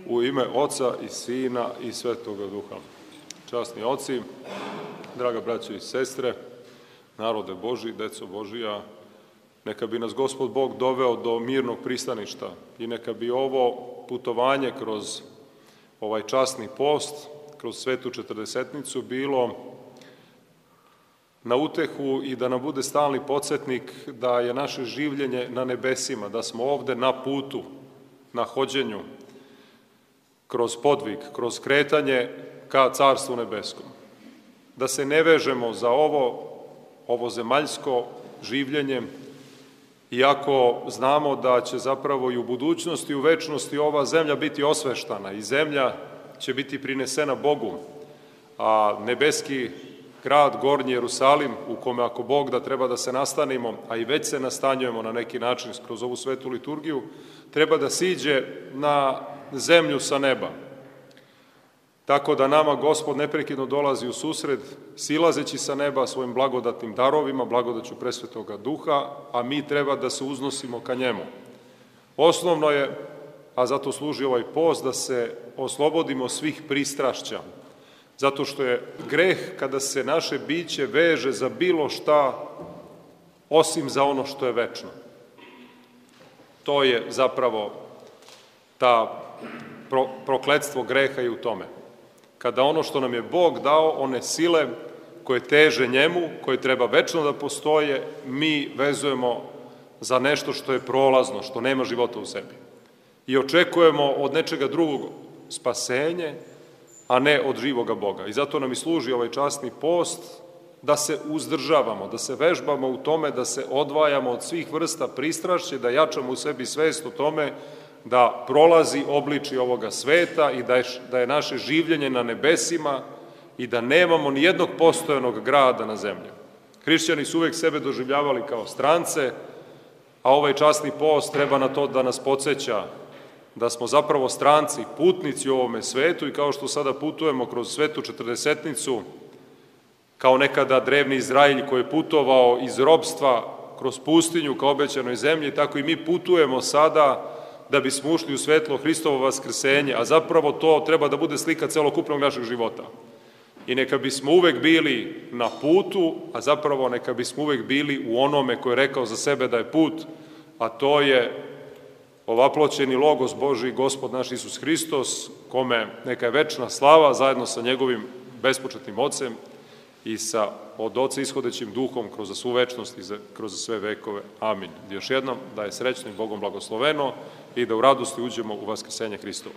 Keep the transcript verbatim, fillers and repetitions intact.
U ime Oca i Sina i Svetoga Duha. Časni oci, draga braćo i sestre, narode Božji, deco Božija, neka bi nas Gospod Bog doveo do mirnog pristaništa i neka bi ovo putovanje kroz ovaj časni post, kroz svetu četrdesetnicu bilo na utehu i da nam bude stalni podsjetnik da je naše življenje na nebesima, da smo ovde na putu, na hođenju, kroz podvig, kroz kretanje ka Carstvu nebeskom. Da se ne vežemo za ovo, ovo zemaljsko življenje, iako znamo da će zapravo i u budućnosti i u večnosti ova zemlja biti osveštana i zemlja će biti prinesena Bogu, a nebeski grad, Gornji Jerusalim, u kome ako Bog da treba da se nastanimo, a i već se nastanjujemo na neki način kroz ovu svetu liturgiju, treba da siđe na zemlju sa neba. Tako da nama Gospod neprekidno dolazi u susret, silazeći sa neba svojim blagodatnim darovima, blagodaću presvetoga Duha, a mi treba da se uznosimo ka njemu. Osnovno je, a zato služi ovaj post, da se oslobodimo svih pristrašća, zato što je greh kada se naše biće veže za bilo šta osim za ono što je večno. To je zapravo ta pro, prokletstvo greha i u tome. Kada ono što nam je Bog dao, one sile koje teže njemu, koje treba večno da postoje, mi vezujemo za nešto što je prolazno, što nema života u sebi. I očekujemo od nečega drugog spasenje, a ne od živoga Boga. I zato nam i služi ovaj časni post, da se uzdržavamo, da se vežbamo u tome, da se odvajamo od svih vrsta pristrašća, da jačamo u sebi svest o tome da prolazi obliči ovoga sveta i da je, da je naše življenje na nebesima i da nemamo ni jednog postojanog grada na zemlji. Hrišćani su uvek sebe doživljavali kao strance, a ovaj časni post treba na to da nas podsjeća da smo zapravo stranci, putnici u ovome svetu i kao što sada putujemo kroz svetu četrdesetnicu, kao nekada drevni Izraelj koji je putovao iz robstva kroz pustinju ka obećanoj zemlji, tako i mi putujemo sada da bismo ušli u svetlo Hristovo vaskrsenje, a zapravo to treba da bude slika celokupnog našeg života. I neka bismo uvek bili na putu, a zapravo neka bismo uvek bili u onome koji je rekao za sebe da je put, a to je ovaploćeni Logos Božji, Gospod naš Isus Hristos, kome neka je večna slava zajedno sa njegovim bespočetnim Ocem i sa od Oca ishodećim Duhom kroz svu večnost i za, kroz sve vekove. Amin. Još jednom da je srećno i Bogom blagosloveno i da u radosti uđemo u vaskrsenje Hristovo.